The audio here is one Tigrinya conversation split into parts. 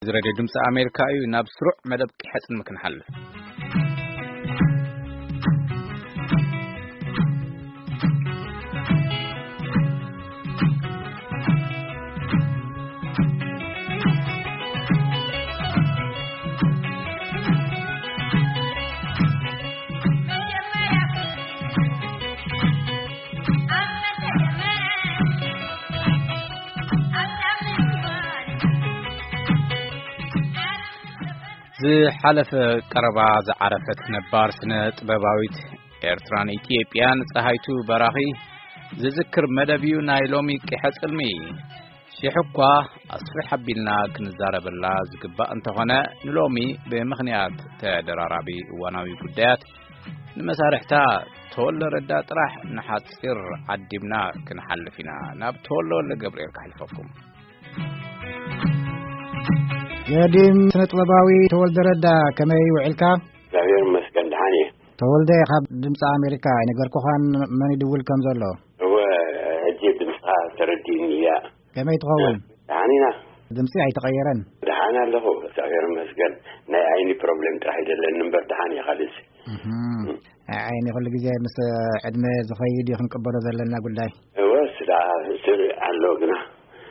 እዚ ሬድዮ ድምፂ ኣሜሪካ እዩ። ናብ ስሩዕ መደብ ቂሐ ጽልሚ ክንሓልፍ። ዝሓለፈ ቀረባ ዝዓረፈት ነባር ስነ ጥበባዊት ኤርትራን ኢትዮጵያን ጸሃይቱ በራኺ ዝዝክር መደብ እዩ ናይ ሎሚ ቂሐ ጽልሚ። ሽሕ እኳ ኣስፍሕ ኣቢልና ክንዛረበላ ዝግባእ እንተኾነ፣ ንሎሚ ብምኽንያት ተደራራቢ እዋናዊ ጉዳያት ንመሳርሕታ ተወልደ ረዳ ጥራሕ ንሓጺር ዓዲምና ክንሓልፍ ኢና። ናብ ተወልደ ወልደ ገብርኤል ከሕልፈኩም። ገዲም ስነ ጥበባዊ ተወልደ ረዳ፣ ከመይ ውዒልካ? እግዚኣብሔር ይመስገን፣ ደሓን እየ። ተወልደ፣ ካብ ድምፂ ኣሜሪካ ኣይነገርኩኻን መን ይድውል ከም ዘሎ? እወ፣ ሕጂ ድምፅኻ ተረዲእኒ እያ። ከመይ ትኸውን? ደሓን ኢና። ድምፂ ኣይተቐየረን? ደሓን ኣለኹ፣ እግዚኣብሔር ይመስገን። ናይ ዓይኒ ፕሮብሌም ጥራሕ ይደለኒ እምበር ደሓን እየ። ካልእሲ እህም። ናይ ዓይኒ ኩሉ ግዜ ምስ ዕድመ ዝኸይድ እዩ ክንቅበሎ ዘለና ጉዳይ። እወ፣ ስዳ ስር ኣሎ ግና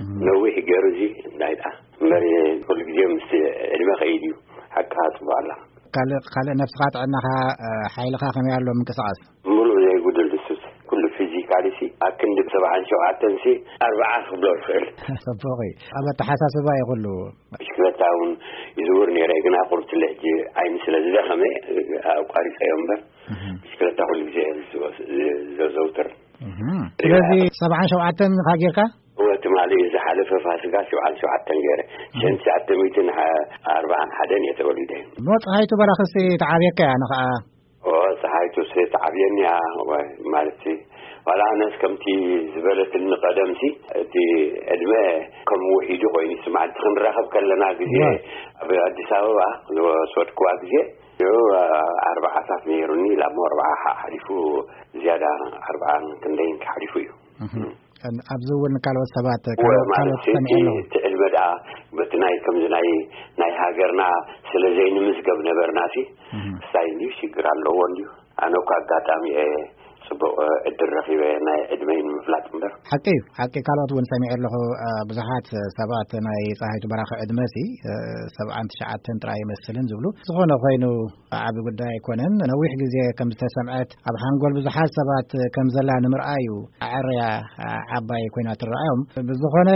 እህም። ነዊሕ ገይሩ እዚ እንታይ ደኣ እምበር፣ ኩሉ ግዜ ምስ ዕድመ ከይድ እዩ። ሓቅኻ ጽቡቕ ኣላ። ካልእ፣ ካልእ ነብስኻ ጥዕናኻ፣ እ፣ ሓይልኻ ከመይ ኣሎ ምንቅስቓስ? ምሉእ ዘይጉድል ድሱስ ኩሉ ፊዚካሊ ሲ ኣብ ክንዲ ሰብዓን ሸውዓተን ሲ ኣርብዓ ክብሎ ይኽእል። ጽቡቕ እዩ። ኣብ ኣተሓሳስባ እዩ ኩሉ። ብሽክለታ እውን ይዝውር ነይረ፣ ግና ቁርብቲ ሕጂ ዓይኒ ስለ ዝደኸመ ኣቋሪጸዮ እምበር፣ እህም። ብሽክለታ ኩሉ ግዜ እየ ዝዘ-፣ ዘዘውትር። እህም። ስለዚ ሰብዓን ሸውዓተን ኢኻ ጌርካ? እወ፣ ትማሊ ዝሓለፈ ፋሲካ ሸውዓን ሸውዓተን ገይረ። እህም። ሸንቲ ሸዓተ ሚእትን ኣርባዓን ሓደን እየ ተወሊደ። እሞ ፀሃይቱ በራኽሲ ተዓብየካ እያ፣ ንኸዓ? እወ፣ ፀሃይቱ ሲ ተዓብየኒ እያ፣ ወይ፣ ማለት ሲ፣ ዋላ ኣነስ ከምቲ ዝበለትኒ ቀደም ሲ፣ እቲ ዕድመ ከም ውሒዱ ኮይኑ ይስምዓኒ። እቲ ክንራኸብ ከለና ግዜ እወ። ኣብ ኣዲስ ኣበባ ዝወሰድክዋ ግዜ፣ እዩ፣ ኣርባዓታት ነይሩኒ፣ ላሞ ኣርብዓ ሓ-፣ ሓሊፉ፣ ዝያዳ ኣርብዓን ክንደይን ሓሊፉ እዩ። እህም። ኣብዚ እውን ካልኦት ሰባት፣ እወ፣ ካልኦት፣ ማለት ካልኦት ሲ፣ ሰሚዐ እቲ፣ ኣለኹ። እቲ ዕድመ ደኣ በቲ ናይ ከምዚ ናይ፣ ናይ ሃገርና ስለ ዘይንምዝገብ ነበርና ሲ፣ እህም። ክሳይ እንድዩ ሽግር ኣለዎ እንድዩ። ኣነ እኮ ኣጋጣሚ እየ ጽቡቕ ዕድል ረኺበ ናይ ዕድመይ ንምፍላጥ እምበር። ሓቂ እዩ፣ ሓቂ። ካልኦት እውን ሰሚዐ ኣለኹ፣ እ፣ ብዙሓት ሰባት ናይ ፀሃይቱ በራኺ ዕድመ ሲ፣ እ፣ ሰብዓን ትሽዓተን ጥራይ ይመስልን ዝብሉ። ዝኾነ ኮይኑ ዓቢ ጉዳይ ኣይኮነን። ነዊሕ ግዜ ከም ዝተሰምዐት ኣብ ሓንጎል ብዙሓት ሰባት ከም ዘላ ንምርኣይ እዩ ኣዐርያ ዓባይ ኮይና ትረኣዮም። ብዝኾነ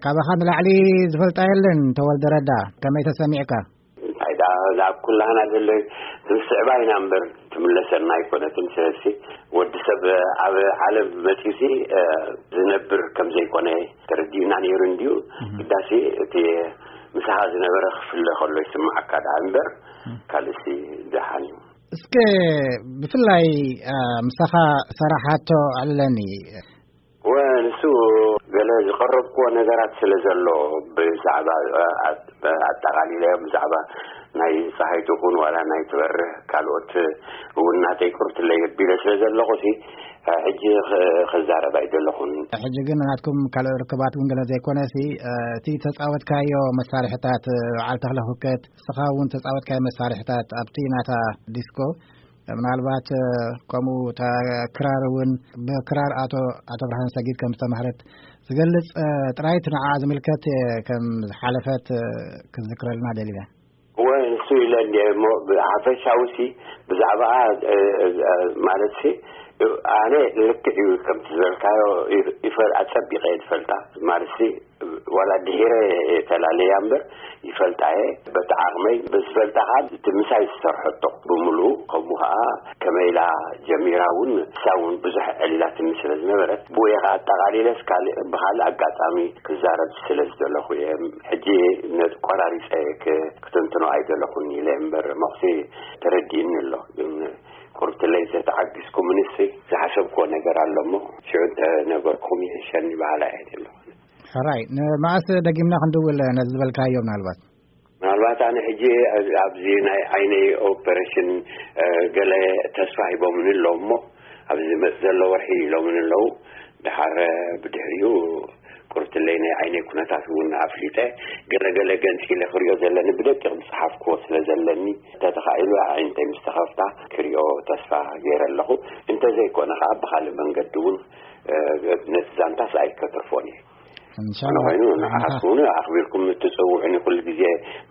ካባኻ ንላዕሊ ዝፈልጣ የለን ተወልደ ረዳ። ከመይ ተሰሚዕካ? እንታይ ደኣ፣ ኣብ ኩላህና ዘሎ ትንስዕባ ኢና እምበር ትምለሰና ኣይኮነትን። ስለዚ ወዲ ሰብ ኣብ ዓለም መጺኡ ሲ፣ እ፣ ዝነብር ከም ዘይኮነ ተረዲእና ነይሩ እንድዩ። እህ። ግዳሲ እቲ ምሳኻ ዝነበረ ክፍለ ከሎ ይስምዓካ ደኣ እምበር፣ እህ። ካልእሲ ደሓን እዩ። እስከ ብፍላይ፣ እ፣ ምሳኻ ሰራሓቶ ኣለኒ። ወ፣ ንሱ ገለ ዝቐረብክዎ ነገራት ስለ ዘሎ ብዛዕባ፣ እ፣ ኣጠቓሊለ ብዛዕባ ናይ ፀሃይቱ ኹን ዋላ ናይ ትበርህ ካልኦት እውን ናተይ ቁርትለይ ኣቢለ ስለ ዘለኹ ሲ፣ እ፣ ሕጂ ኽ-፣ ክዛረብ ኣይደለኹን። ሕጂ ግን ናትኩም ካልኦ ርክባት እውን ገለ ዘይኮነ ሲ፣ እ፣ እቲ ተፃወትካዮ መሳርሕታት፣ እ፣ በዓል ተኽለ ኩከት፣ ንስኻ እውን ተፃወትካዮ መሳርሕታት ኣብቲ ናታ ዲስኮ፣ ምናልባት፣ እ፣ ከምኡ እታ ክራር እውን ብክራር ኣቶ፣ ኣቶ ብርሃን ሰጊድ ከም ዝተማህረት ዝገልጽ፣ እ፣ ጥራይ እቲ ንዓኣ ዝምልከት፣ እ፣ ከም ዝሓለፈት፣ እ፣ ክትዝክረልና ደሊና። እወ፣ ንሱ ኢለ እንድየ እሞ፣ ብሓፈሻዊ ሲ፣ ብዛዕባኣ፣ እ፣ እ፣ ማለት ሲ፣ ኣነ ልክዕ እዩ ከምቲ ዝበልካዮ ይፍ-፣ ይፈ-፣ ኣጸቢቐ እየ ዝፈልጣ። ማለት ሲ፣ ዋላ ድሒረ እየ ተላለያ እምበር፣ ይፈልጣ እየ። በቲ ዓቕመይ፣ ብዝፈልጣ ኸዓ፣ እቲ ምሳይ ዝሰርሐቶ ብምሉኡ፣ ከምኡ ኸዓ፣ ከመይ ኢላ ጀሚራ እውን፣ ንሳ እውን ብዙሕ ዕሊላትኒ ስለ ዝነበረት፣ ብኡ እየ ኸዓ ኣጠቓሊለስ፣ ካልእ፣ ብኻልእ ኣጋጣሚ ክዛረብ ስለ ዝደለኹ እየ። ሕጂ ነቲ ቆራሪጸ ክ-፣ ክትንትኖ ኣይደለኹን ኢለ እምበር፣ መኹሲ ተረዲእኒ ኣሎ። ግን ቁርብቲ ለይቲ ተዓጊስኩምንሲ ዝሓሰብክዎ ነገር ኣሎ እሞ፣ ሽዑ እንተነገርኩም ይሕሸኒ በሃላይ እየ ዘለኹ። ሕራይ፣ ንመኣስ ደጊምና ክንድውል ነዚ ዝበልካዮ ምናልባት? ምናልባት ኣነ ሕጂ ኣብዚ ናይ ዓይነይ ኦፐሬሽን፣ እ፣ ገለ ተስፋ ሂቦምኒ ኣለዉ እሞ፣ ኣብዚ ዝመጽእ ዘሎ ወርሒ ኢሎምኒ ኣለዉ። ደሓር ብድሕሪኡ ቁርትለይ ናይ ዓይነይ ኩነታት እውን ኣፍሊጠ። ገለገለ ገንፂለ ክሪኦ ዘለኒ ብደቂቕ ዝፀሓፍክዎ ስለ ዘለኒ፣ እንተተኻኢሉ ኣዒንተይ ምስ ተኸፍታ ክሪኦ ተስፋ ገይረ ኣለኹ። እንተዘይኮነ ከዓ ብኻልእ መንገዲ እውን፣ እ፣ ነቲ ዛንታስ ኣይከትርፎን እየ። እንሻላ። ኮይኑ ንዓኻትኩም እውን ኣኽቢርኩም እትፅውዑኒ ኩሉ ግዜ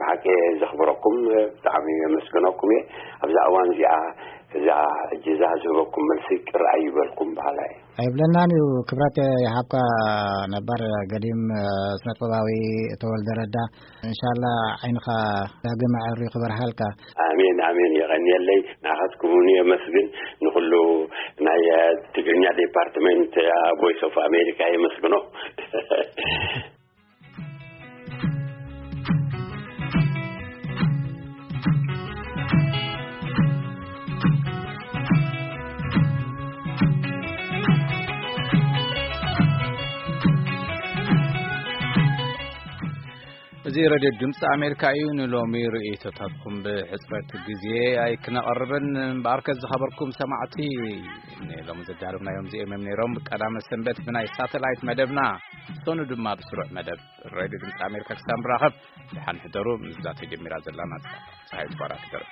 ብሓቂ ዘኽብረኩም፣ ብጣዕሚ የመስግነኩም እየ። ኣብዛ እዋን እዚኣ እዛ እጅዛ ዝህበኩም መልሲ ቅር ኣይበልኩም በሃላይ። ኣይብለናን እዩ። ክብረት ይሃብካ። ነባር ገዲም፣ እ፣ ስነጥበባዊ ተወልደ ረዳ፣ እንሻላ ዓይንኻ ዳግም ኣዕርዩ ክበርሃልካ። ኣሜን፣ ኣሜን። የቐንየለይ። ንዓኻትኩም እውን የመስግን። ንኹሉ ናይ፣ እ፣ ትግርኛ ዲፓርትመንት፣ እ፣ ቮይስ ኦፍ ኣሜሪካ የመስግኖ። እዚ ሬድዮ ድምፂ ኣሜሪካ እዩ። ንሎሚ ርእይቶታትኩም ብሕፅረት ግዜ ኣይክነቐርብን እምበኣርከ፣ ዝኸበርኩም ሰማዕቲ፣ ንሎሚ ዘዳለብናዮም እዚኦም እዮም ነይሮም። ቀዳመ ሰንበት ብናይ ሳተላይት መደብና፣ ሰኑ ድማ ብስሩዕ መደብ ሬድዮ ድምፂ ኣሜሪካ ክሳብ ንራኸብ፣ ደሓን ሕደሩ። ምስዛ ተጀሚራ ዘላ ናጻ ፀሃይ ትኳራ ትደርፍ።